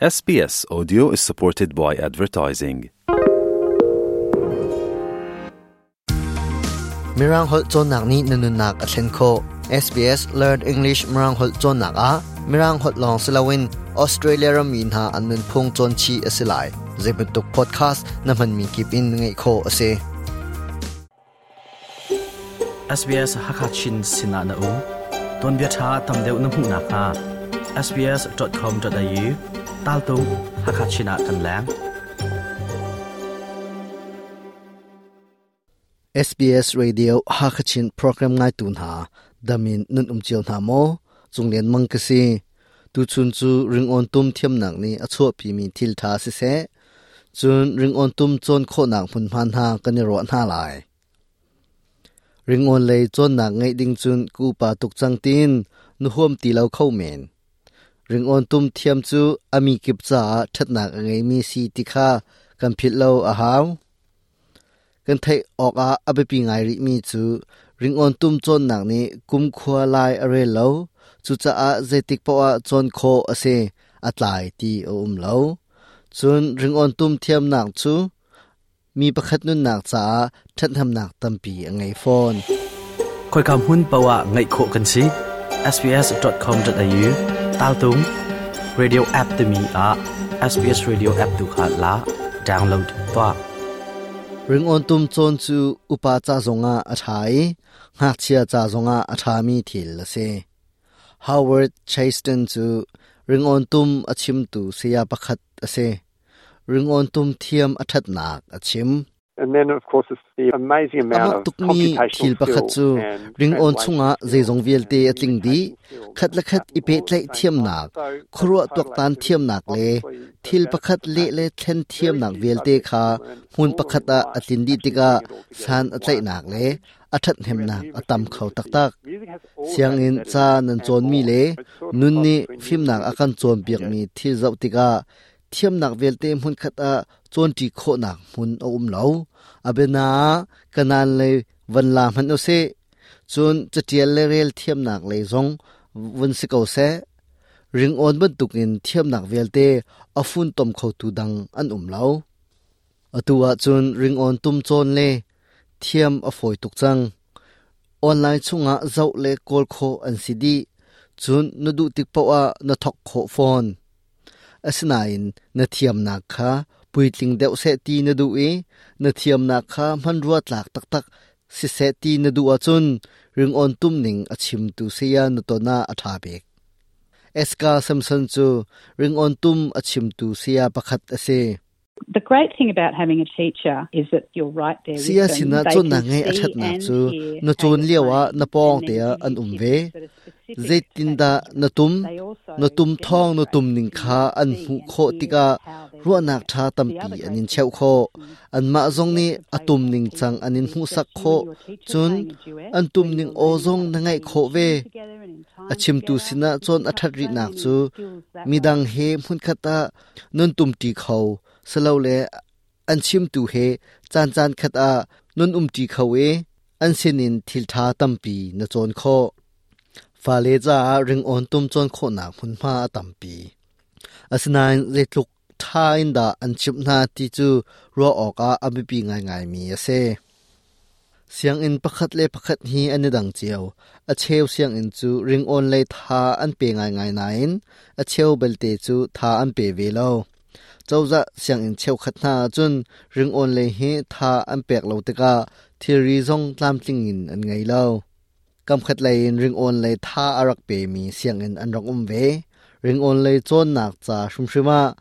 SBS Audio is supported by advertising. Mirang holh cawnnak nih na nunnak a thlen khawh. SBS Learn English Mirang holh cawnnak ah Mirang holh lawng si loin Australia rammi hna an nunphung cawn chih a si lai. Zei bantuk podcast na hmanmi kip in ngaih khawh a si. SBS Hakha Chin sinah na um. Tuanbia ṭha tam deuh na hmuh nakhnga sbs.com.au taltung Hakha Chin ah kan leng. SBS Radio Hakachin program ngaitu hna damin nun um cio hna maw cunglian mang ka si tuchun cu ringawn tum thiamnak nih a chuahpimi thil ṭha siseh cun ringawn tum cawn khawhnak hmunhma hna kan i ruah hna lai. Ringawn lei cawnnak ngeih ding cun ka upa tuk cang tiin na huam ti lo kho men. Ringawn tum thiam cu a mi kip caah ṭhatnak a ngeimi si ti kha kan philh lo a hau. Kan theih awkah a biapi ngai rihmi cu ringawn tum cawnnak nih kumkhua lai a rel lo. Cucaah zeitik paoh ah cawn khawh a si, a tlai ti a um lo. Cun ringawn tum thiamnak cu mi pakhat nunnak caah ṭhathnemnak tampi a ngei fawn. Khoika hmun paoh ah ngaih khawh kan si. sbs.com.au taltung radio app timi ah SBS Radio app tu kha la download tuah. Ringawn tum cawn cu upa ca zongah a ṭha i ngakchia ca zongah a ṭhami thil a si. Howard Chaston cu ringawn tum a chimtu saya pakhat a si. Ringawn tum thiam a ṭhatnak a chim. And then of course it's the amazing amount Amah of tukmi thil computational pakhat skills cu and ringawn chungah translation zeizong skills vialte and a tling dih. communication skills Khat le that khat happen i all at the pehtlaih same time. thiamnak, So that's khuaruah total tuaktan activity. thiamnak le Obviously the thil pakhat benefits of leh that le thlen very thiamnak few vialte subjects kha you learn hmun all pakhat in ah a life tlin dih actually tikah bring it all together san in a one tlaihnak le package. a Think about ṭhathnemnak a numeracy tam and kho literacy. taktak. Music has all of that Sianginn embedded ca in it nan and cawnmi more. le It's sort of nun cross nih between fimnak numeracy a kan literacy and cawnpiakmi thil zoh tikah thiamnak vialte hmunkhat ah cawnṭi khawhnak hmun a um lo. A biana ah kanaan lei van la hmanh usih. Cun caṭial le rel thiamnak lei zong vun si ko seh. Ringawn bantukin thiamnak vialte a funtom khotu dang an um lo. Atu ahcun ringawn tum cawn le thiam a fawi tuk cang. Online chungah zoh le kawl khawh an si dih. Cun na duh tik paoh ah na thawk khawh fawn. Asinain na thiamnak kha puitling deuh seh ti na duh i na thiamnak kha hmanrua tlak taktak siseh ti na duh ahcun ringawn tum ning a chimtu saya na ton ah a ṭha bik. Eska Samson cu ringawn tum a chimtu saya pakhat a si. The great thing about having a teacher is that you're right there with Saya them. sinah They can cawnnak ngeih a see ṭhatnak and cu hear na how cawn you're lioah playing na pawng and te then ah give an you um tips ve. that are specific to that Zeitindah na instrument. tum? They also Na tum thawng na demonstrate tum ning and kha you an see hmuh and khawh hear tikah how they're doing ruahnak it. ṭha The tampi other an great in thing cheuh about khawh. lessons Anmah is zong you nih get to a play tum with ning other cang people. an in It's hmuhsak just you and khawh. your teacher Cun playing a duet an tum where ning you're aw learning zong how na to ngaih be in khawh ve. tune together and in A time chimtu together. sinah You cawn a pick up ṭhat so rihnak many cu skills that way. midang he hmunkhat ah nan tumṭi kho silole an chimtu he caan khat ah nan umṭi kho i an sinin thil ṭha tampi na cawn khawh. Fale caah ringawn tum cawn khawhnak hmunhma a tampi. Asinain zeitluk ṭha in dah an chimh hna ti cu ruah awkah a biapi ngaingaimi a si. Sianginn pakhat le pakhat hi an i dang cio. A cheu sianginn cu ringawn lei tha an pe ngaingai nain a cheu belte cu tha an pe ve lo. Cozah sianginn cheukhat hna ahcun ringawn lei hi tha an pek lo tikah thilri zong tlamtling in an ngei lo. Kamkhat lei in ringawn lei tha a rak pemi sianginn an rak um ve. Ringawn lei cawnnak ca hrimhrim ah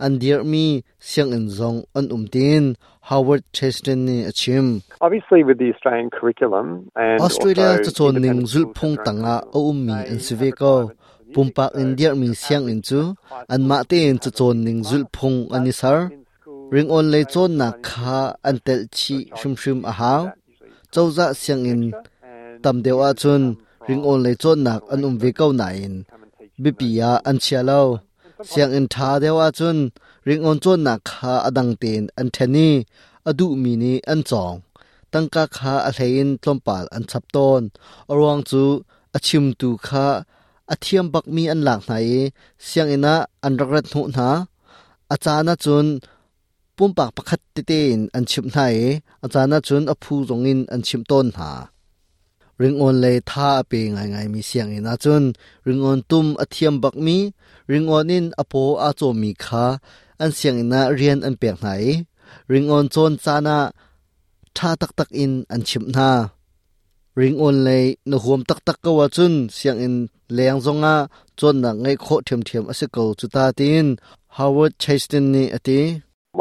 an dirhmi sianginn zong an um tiin Howard Chaston nih a chim. Obviously with the Australian curriculum and Australia also cacawn ning independent schools have zulhphung their own tangah a curriculum. ummi an They si have ve ko. requirements for music, Pumpak so in dirhmi your sianginn average cu high school anmah student tein have a cacawn music ning class, zulhphung an but i ser. in schools Ringawn lei they also cawnnak run kha independent an telh lessons, so chih a child can hrimhrim a choose to do hau. that, usually it's called Cozah music sianginn lecture, and tam deuh teachers ahcun come from ringawn lei cawnnak national an um ve language ko schools nain to come and teach in biapi those ah schools an from chia time to lo. time. And sometimes Sianginn ṭha deuh ahcun ringawn cawnnak kha a dang tein an ṭhen i a duhmi nih an cawng. Tangka kha a hlei in tlawmpal an chap tawn. A ruang cu a chimtu kha a thiam bakmi an lak hna i sianginn ah an rak rat hnawh hna. A caan ahcun pumpak pakhat tete in an chimh hna i a caan ahcun a phu zong in an chimh tawn hna. Ringawn lei tha a pe ngaingaimi sianginn ahcun ringawn tum a thiam bakmi, ringawn in a paw aa cawmmi kha an sianginn ah rian an pek hna i ringawn cawn caan ah ṭha taktak in an chimh hna. Ringawn lei na huam taktak ko ahcun sianginn leng zongah cawnnak ngeih khawh ṭhiamṭhiam a si ko cu ta tiin Howard Chastain nih a ti.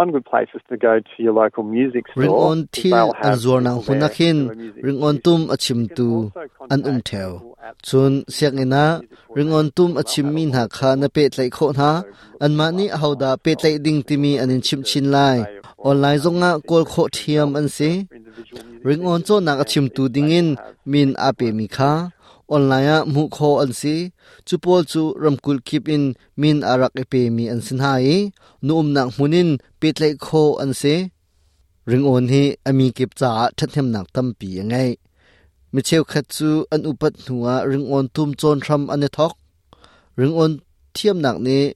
One good place is to go to your local music store. Ringawn thil an zuarnak hmun ah khin ringawn tum a chimtu an um ṭheo. Cun sianginn ah ringawn tum a chimmi hna kha na pehtlaih khawh hna. Anmah nih ahodah pehtlaih ding timi an in chimh chin lai. Online zongah kawl khawh ṭhiam an si. Ringawn cawnnak a chimtu dingin min aa pemi kha online ah hmuh khawh an si. Cu pawl cu ramkulh kip in min a rak i pemi an si hna i nu umnak hmun in pehtlaih khawh an si. Ringawn hi a mi kip caah ṭhathnemnak tampi a ngei. Mi cheukhat cu an upat hnuah ringawn tum cawn hram an i thawk. Ringawn thiamnak nih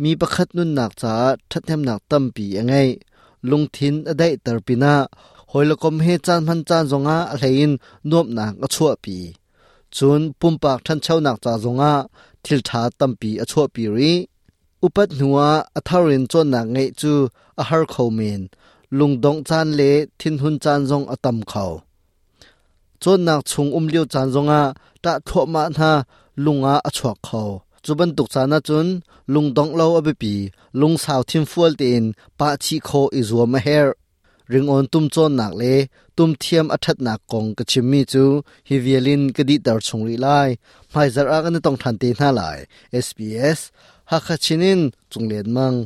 mi pakhat nunnak caah ṭhathnemnak tampi a ngei. Lungthin a daihter pinah hawi le kom he caan hman caan zongah a hleiin nuamhnak a chuahpi. Cun pumpak ṭhanchonak ca zongah thil ṭha tampi a chuahpi rih. Upat hnuah a thar in cawnnak ngeih cu a har kho men. Lungdongh caan le thinhun caan zong a tam kho. Cawnnak chung um lio caan zongah ṭah thluahmah hna lung ah a chuak kho. Cu bantuk caan ahcun lungdongh lo a biapi, lungsau thinfual tein pah chih khawh i zuam a herh. Ringawn tum cawnnak le tum thiam a ṭhatnak kong ka chimmi cu hi vial in ka dihter chung rih lai. Hmaizarh ah kan i tong ṭhan te hna lai. SBS Hakha Chin in Cung Lian Mang.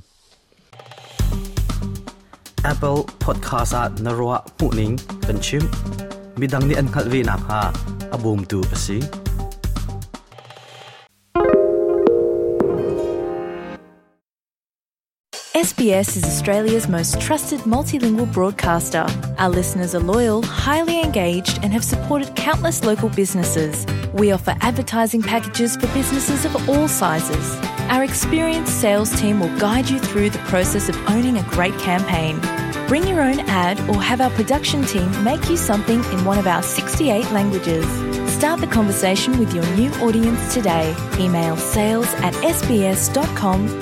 Apple Podcast ah na ruah hmuhning kan chim. Midang nih an hngalh ve nakhnga a bawmtu a si. SBS is Australia's most trusted multilingual broadcaster. Our listeners are loyal, highly engaged, and have supported countless local businesses. We offer advertising packages for businesses of all sizes. Our experienced sales team will guide you through the process of owning a great campaign. Bring your own ad or have our production team make you something in one of our 68 languages. Start the conversation with your new audience today. Email sales at sbs.com.au.